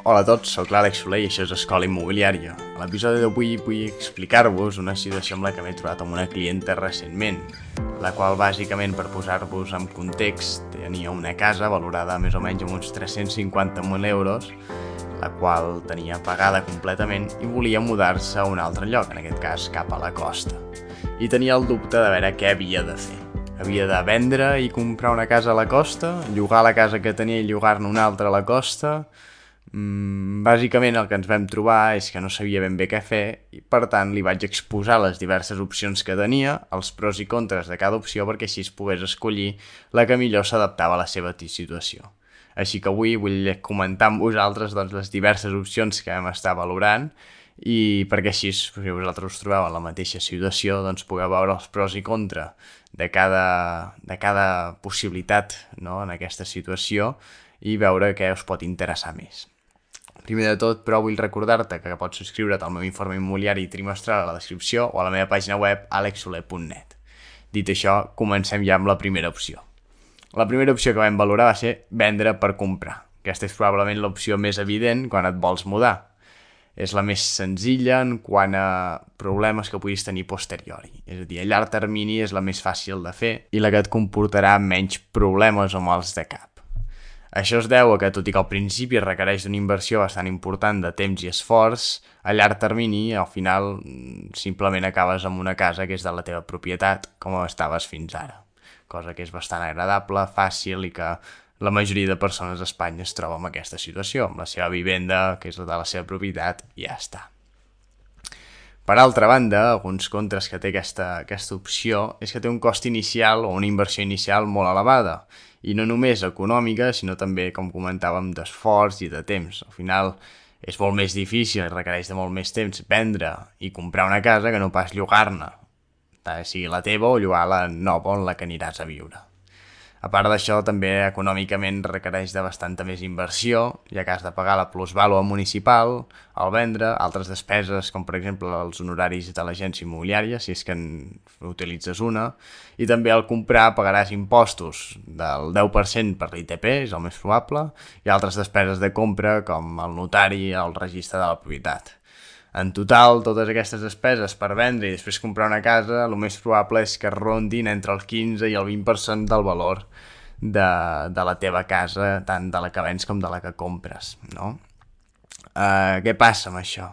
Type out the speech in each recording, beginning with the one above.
Hola a tots, sóc l'Àlex Soler i això és Escola Immobiliària. A l'episodi d'avui vull explicar-vos una situació amb la que m'he trobat amb una clienta recentment, la qual bàsicament, per posar-vos en context, tenia una casa valorada més o menys amb uns 350.000 euros, la qual tenia pagada completament i volia mudar-se a un altre lloc, en aquest cas cap a la costa. I tenia el dubte de veure què havia de fer. Havia de vendre i comprar una casa a la costa, llogar la casa que tenia i llogar-ne una altra a la costa. Bàsicament el que ens vam trobar és que no sabia ben bé què fer i per tant li vaig exposar les diverses opcions que tenia, els pros i contres de cada opció perquè així es pogués escollir la que millor s'adaptava a la seva situació. Així que avui vull comentar amb vosaltres les diverses opcions que vam estar valorant i perquè així, si vosaltres us trobeu en la mateixa situació, pugueu veure els pros i contra de cada possibilitat, no, en aquesta situació i veure què us pot interessar més. Primer de tot, però, vull recordar-te que pots subscriure't al meu informe immobiliari trimestral a la descripció o a la meva pàgina web alexsoler.net. Dit això, comencem ja amb la primera opció. La primera opció que vam valorar va ser vendre per comprar. Aquesta és probablement l'opció més evident quan et vols mudar. És la més senzilla en quant a problemes que puguis tenir posteriori. És a dir, a llarg termini és la més fàcil de fer i la que et comportarà menys problemes o mals de cap. Això es deu a que, tot i que al principi es requereix una inversió bastant important de temps i esforç, a llarg termini, al final, simplement acabes amb una casa que és de la teva propietat, com estaves fins ara. Cosa que és bastant agradable, fàcil i que la majoria de persones a Espanya es troba en aquesta situació, amb la seva vivenda, que és la de la seva propietat, i ja està. Per altra banda, alguns contres que té aquesta opció és que té un cost inicial o una inversió inicial molt elevada, i no només econòmica, sinó també, com comentàvem, d'esforç i de temps. Al final és molt més difícil i requereix de molt més temps vendre i comprar una casa que no pas llogar-ne, sigui la teva o llogar la nova on la que aniràs a viure. A part d'això, també econòmicament requereix de bastanta més inversió, ja que has de pagar la plusvàlua municipal al vendre, altres despeses, com per exemple els honoraris de l'agència immobiliària, si és que utilitzes una, i també al comprar pagaràs impostos del 10% per l'ITP, és el més probable, i altres despeses de compra, com el notari i el registre de la propietat. En total, totes aquestes despeses per vendre i després comprar una casa, el més probable és que rondin entre el 15 i el 20% del valor de la teva casa, tant de la que vens com de la que compres, no? Què passa amb això?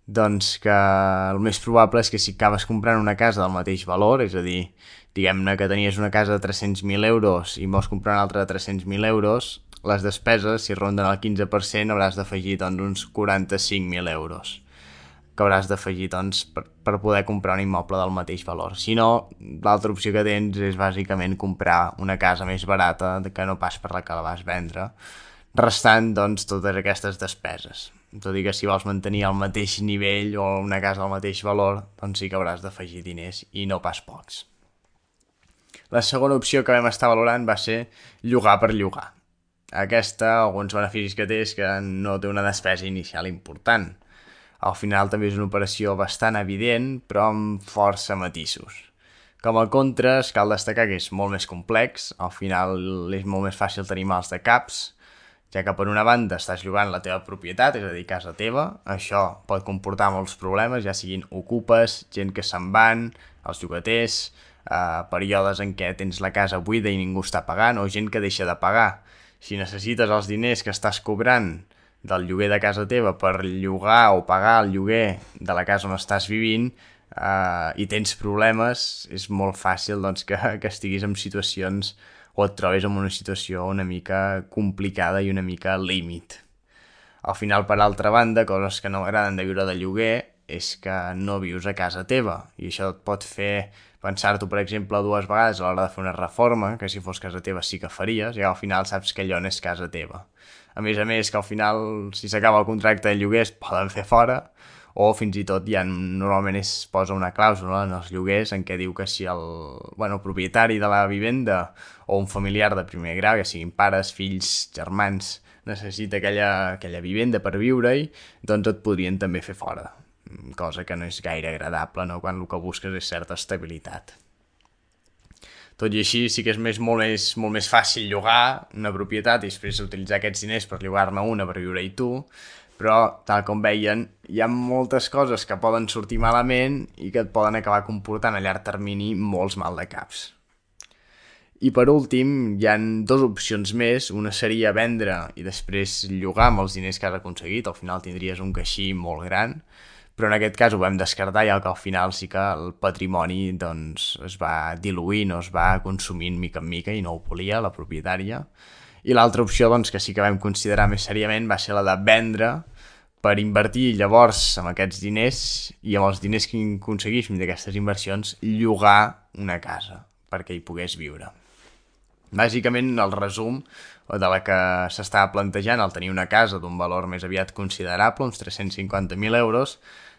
Doncs que el més probable és que si acabes comprant una casa del mateix valor, és a dir, diguem-ne que tenies una casa de 300.000 euros i vols comprar una altra de 300.000 euros, les despeses, si ronden el 15%, hauràs d'afegir uns 45.000 euros que hauràs d'afegir per poder comprar un immoble del mateix valor. Si no, l'altra opció que tens és bàsicament comprar una casa més barata que no pas per la que la vas vendre, restant totes aquestes despeses. Tot i que si vols mantenir el mateix nivell o una casa al mateix valor, sí que hauràs d'afegir diners i no pas pocs. La segona opció que vam estar valorant va ser llogar per llogar. Aquesta, alguns beneficis que té és que no té una despesa inicial important. Al final també és una operació bastant evident, però amb força matisos. Com a contres, cal destacar que és molt més complex, al final és molt més fàcil tenir mals de caps, ja que per una banda estàs llogant la teva propietat, és a dir, casa teva, això pot comportar molts problemes, ja siguin ocupes, gent que se'n van, els llogaters, períodes en què tens la casa buida i ningú està pagant, o gent que deixa de pagar. Si necessites els diners que estàs cobrant del lloguer de casa teva per llogar o pagar el lloguer de la casa on estàs vivint i tens problemes, és molt fàcil que estiguis en situacions o et trobis en una situació una mica complicada i una mica límit. Al final, per altra banda, coses que no m'agraden de viure de lloguer és que no vius a casa teva i això et pot fer pensar-t'ho, per exemple, dues vegades a l'hora de fer una reforma, que si fos casa teva sí que faries, i al final saps que allò no és casa teva. A més, que al final, si s'acaba el contracte de lloguer, es poden fer fora, o fins i tot normalment es posa una clàusula en els lloguers en què diu que si el propietari de la vivenda o un familiar de primer grau, ja siguin pares, fills, germans, necessita aquella vivenda per viure-hi, doncs et podrien també fer fora. Cosa que no és gaire agradable, no? Quan el que busques és certa estabilitat. Tot i així sí que és molt més fàcil llogar una propietat i després utilitzar aquests diners per llogar-ne una per viure-hi tu, però, tal com veien, hi ha moltes coses que poden sortir malament i que et poden acabar comportant a llarg termini molts maldecaps. I per últim, hi han dues opcions més. Una seria vendre i després llogar amb els diners que has aconseguit. Al final tindries un caixí molt gran, però en aquest cas ho vam descartar, ja que al final sí que el patrimoni doncs, es va diluint o es va consumint mica en mica i no ho volia la propietària. I l'altra opció doncs, que sí que vam considerar més seriament va ser la de vendre per invertir llavors amb aquests diners i amb els diners que aconseguíssim d'aquestes inversions llogar una casa perquè hi pogués viure. Bàsicament, el resum de la que s'estava plantejant, al tenir una casa d'un valor més aviat considerable, uns 350.000 euros,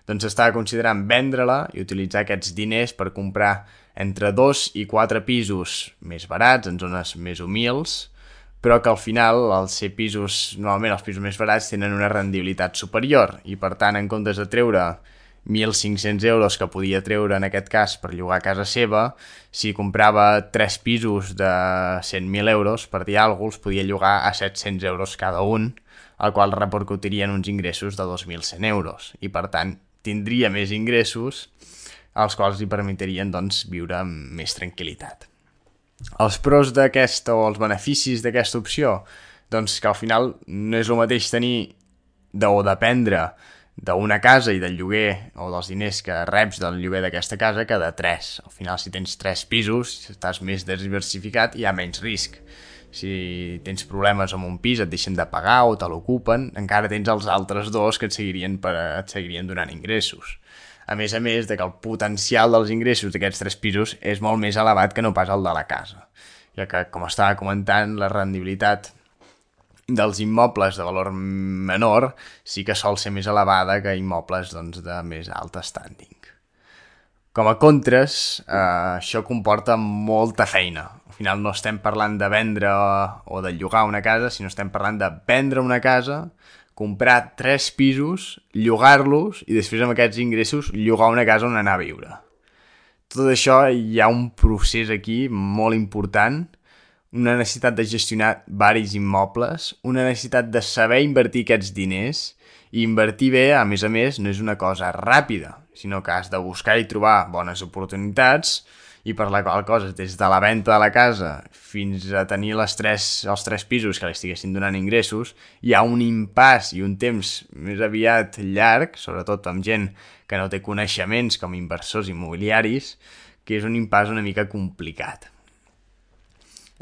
doncs s'estava considerant vendre-la i utilitzar aquests diners per comprar entre 2 i 4 pisos més barats, en zones més humils, però que al final, al ser pisos, normalment els pisos més barats tenen una rendibilitat superior i per tant, en comptes de treure 1.500 euros que podia treure en aquest cas per llogar a casa seva, si comprava 3 pisos de 100.000 euros, per dir alguna cosa, els podia llogar a 700 euros cada un, el qual repercutirien uns ingressos de 2.100 euros. I per tant, tindria més ingressos, els quals li permetrien doncs, viure amb més tranquil·litat. Els pros d'aquesta o els beneficis d'aquesta opció, doncs que al final no és el mateix tenir o dependre d'una casa i del lloguer o dels diners que reps del lloguer d'aquesta casa que de 3. Al final, si tens 3 pisos, estàs més diversificat i hi ha menys risc. Si tens problemes amb un pis, et deixen de pagar o te l'ocupen, encara tens els altres dos que et seguirien donant ingressos. A més de que el potencial dels ingressos d'aquests 3 pisos és molt més elevat que no pas el de la casa, ja que, com estava comentant, la rendibilitat dels immobles de valor menor sí que sol ser més elevada que immobles doncs, de més alt standing. Com a contres, això comporta molta feina. Al final no estem parlant de vendre o de llogar una casa, sinó estem parlant de vendre una casa, comprar 3 pisos, llogar-los i després amb aquests ingressos llogar una casa on anar a viure. Tot això hi ha un procés aquí molt important, una necessitat de gestionar varis immobles, una necessitat de saber invertir aquests diners i invertir bé, a més, no és una cosa ràpida, sinó que has de buscar i trobar bones oportunitats i per la qual cosa, des de la venda de la casa fins a tenir els 3 pisos que li estiguessin donant ingressos, hi ha un impàs i un temps més aviat llarg, sobretot amb gent que no té coneixements com inversors immobiliaris, que és un impàs una mica complicat.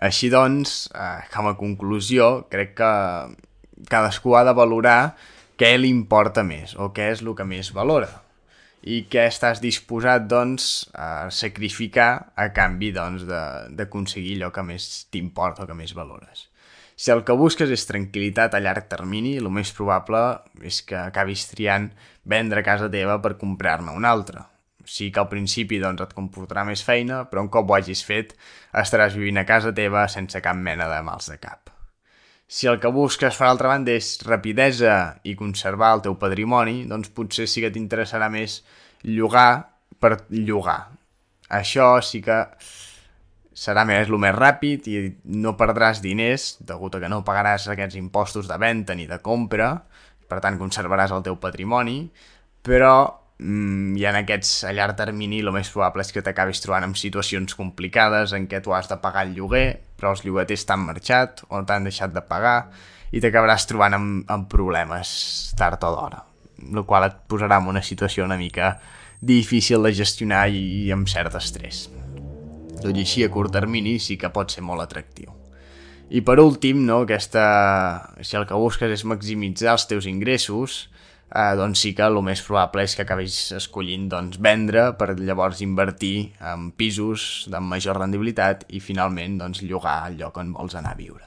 Així doncs, com a conclusió, crec que cadascú ha de valorar què li importa més o què és el que més valora i què estàs disposat doncs, a sacrificar a canvi doncs, d'aconseguir allò que més t'importa o que més valores. Si el que busques és tranquil·litat a llarg termini, el més probable és que acabis triant vendre casa teva per comprar-ne una altra. Sí que al principi doncs, et comportarà més feina, però un cop ho hagis fet estaràs vivint a casa teva sense cap mena de mals de cap. Si el que busques, per altra banda, és rapidesa i conservar el teu patrimoni, doncs potser sí que t'interessarà més llogar per llogar. Això sí que serà el més ràpid i no perdràs diners, degut a que no pagaràs aquests impostos de venda ni de compra, per tant conservaràs el teu patrimoni, però i en aquests a llarg termini el més probable és que t'acabis trobant en situacions complicades en què tu has de pagar el lloguer però els llogaters t'han marxat o t'han deixat de pagar i t'acabaràs trobant amb problemes tard o d'hora, el qual et posarà en una situació una mica difícil de gestionar i amb cert estrès. Tot i així, a curt termini sí que pot ser molt atractiu. I per últim, no, si el que busques és maximitzar els teus ingressos, doncs sí que el més probable és que acabis escollint doncs, vendre per llavors invertir en pisos de major rendibilitat i finalment doncs, llogar el lloc on vols anar a viure.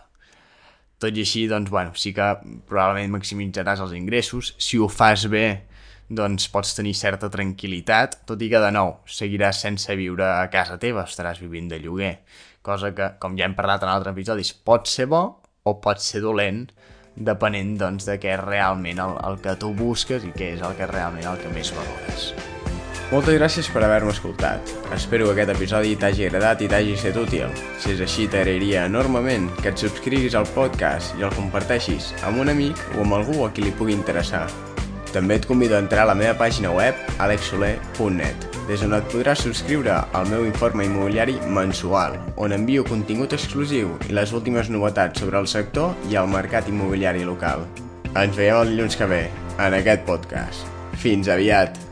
Tot i així, doncs, sí que probablement maximitzaràs els ingressos. Si ho fas bé, doncs pots tenir certa tranquil·litat, tot i que de nou seguiràs sense viure a casa teva, estaràs vivint de lloguer, cosa que, com ja hem parlat en altres episodis, pot ser bo o pot ser dolent, depenent doncs, de què és realment el que tu busques i què és el que realment el que més valores. Moltes gràcies per haver-me escoltat. Espero que aquest episodi t'hagi agradat i t'hagi estat útil. Si és així, t'agrairia enormement que et subscriguis al podcast i el comparteixis amb un amic o amb algú a qui li pugui interessar. També et convido a entrar a la meva pàgina web alexsoler.net, des on et podràs subscriure al meu informe immobiliari mensual, on envio contingut exclusiu i les últimes novetats sobre el sector i el mercat immobiliari local. Ens veiem el dilluns que ve, en aquest podcast. Fins aviat!